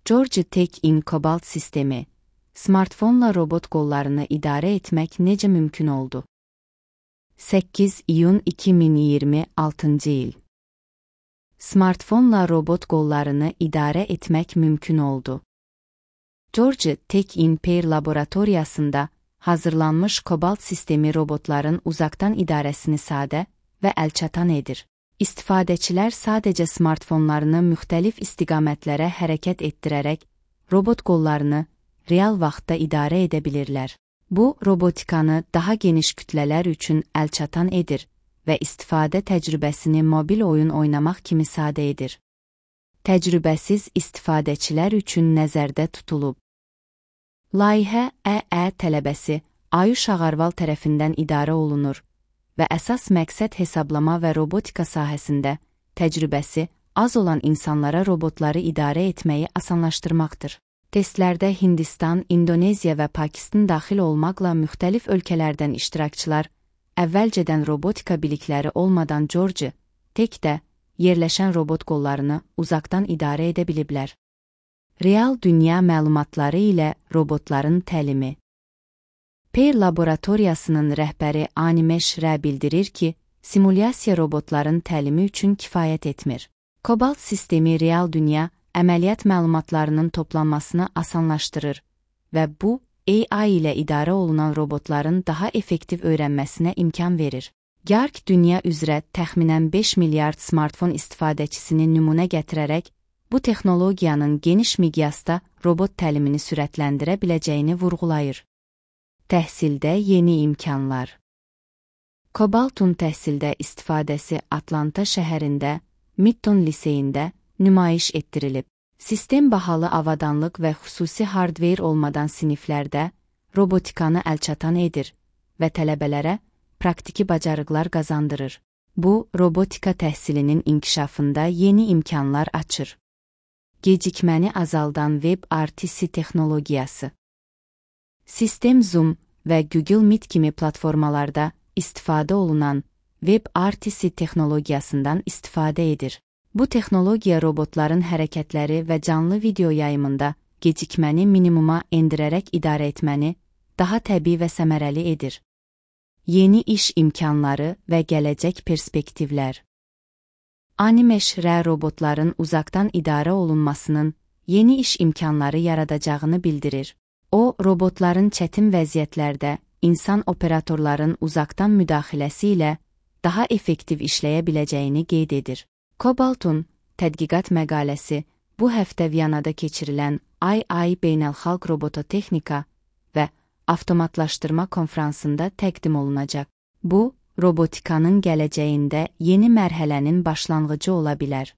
Georgia Tech-in Cobalt sistemi, smartfonla robot qollarını idarə etmək necə mümkün oldu? 8 iyun 2026 il. Smartfonla robot qollarını idarə etmək mümkün oldu. Georgia Tech-in Pear laboratoriyasında hazırlanmış Cobalt sistemi robotların uzaqdan idarəsini sadə və əlçatan edir. İstifadəçilər sadəcə smartfonlarını müxtəlif istiqamətlərə hərəkət etdirərək robot qollarını real vaxtda idarə edə bilirlər. Bu, robotikanı daha geniş kütlələr üçün əlçatan edir və istifadə təcrübəsini mobil oyun oynamaq kimi sadə edir. Təcrübəsiz istifadəçilər üçün nəzərdə tutulub. Layihə EE tələbəsi Ayuş Ağarval tərəfindən idarə olunur və əsas məqsəd hesablama və robotika sahəsində təcrübəsi az olan insanlara robotları idarə etməyi asanlaşdırmaqdır. Testlərdə Hindistan, İndoneziya və Pakistan daxil olmaqla müxtəlif ölkələrdən iştirakçılar əvvəlcədən robotika bilikləri olmadan Georgia Tech-də yerləşən robot qollarını uzaqdan idarə edə biliblər. Real dünya məlumatları ilə robotların təlimi. Pear laboratoriyasının rəhbəri Animesh Rə bildirir ki, simulyasiya robotların təlimi üçün kifayət etmir. Cobalt sistemi real dünya əməliyyat məlumatlarının toplanmasını asanlaşdırır və bu, AI ilə idarə olunan robotların daha effektiv öyrənməsinə imkan verir. GARC dünya üzrə təxminən 5 milyard smartfon istifadəçisini nümunə gətirərək, bu texnologiyanın geniş miqyasda robot təlimini sürətləndirə biləcəyini vurğulayır. Təhsildə yeni imkanlar. Cobaltun təhsildə istifadəsi Atlanta şəhərində, Midtown liseyində nümayiş etdirilib. Sistem bahalı avadanlıq və xüsusi hardware olmadan siniflərdə robotikanı əlçatan edir və tələbələrə praktiki bacarıqlar qazandırır. Bu, robotika təhsilinin inkişafında yeni imkanlar açır. Gecikməni azaldan WebRTC texnologiyası. Sistem Zoom və Google Meet kimi platformalarda istifadə olunan WebRTC texnologiyasından istifadə edir. Bu texnologiya robotların hərəkətləri və canlı video yayımında gecikməni minimuma endirərək idarə etməni daha təbii və səmərəli edir. Yeni iş imkanları və gələcək perspektivlər. Animesh Rə robotların uzaqdan idarə olunmasının yeni iş imkanları yaradacağını bildirir. O, robotların çətin vəziyyətlərdə insan operatorların uzaqdan müdaxiləsi ilə daha effektiv işləyə biləcəyini qeyd edir. Cobaltun tədqiqat məqaləsi bu həftə Viyanada keçirilən II Beynəlxalq Robototexnika və Avtomatlaşdırma konfransında təqdim olunacaq. Bu, robotikanın gələcəyində yeni mərhələnin başlanğıcı ola bilər.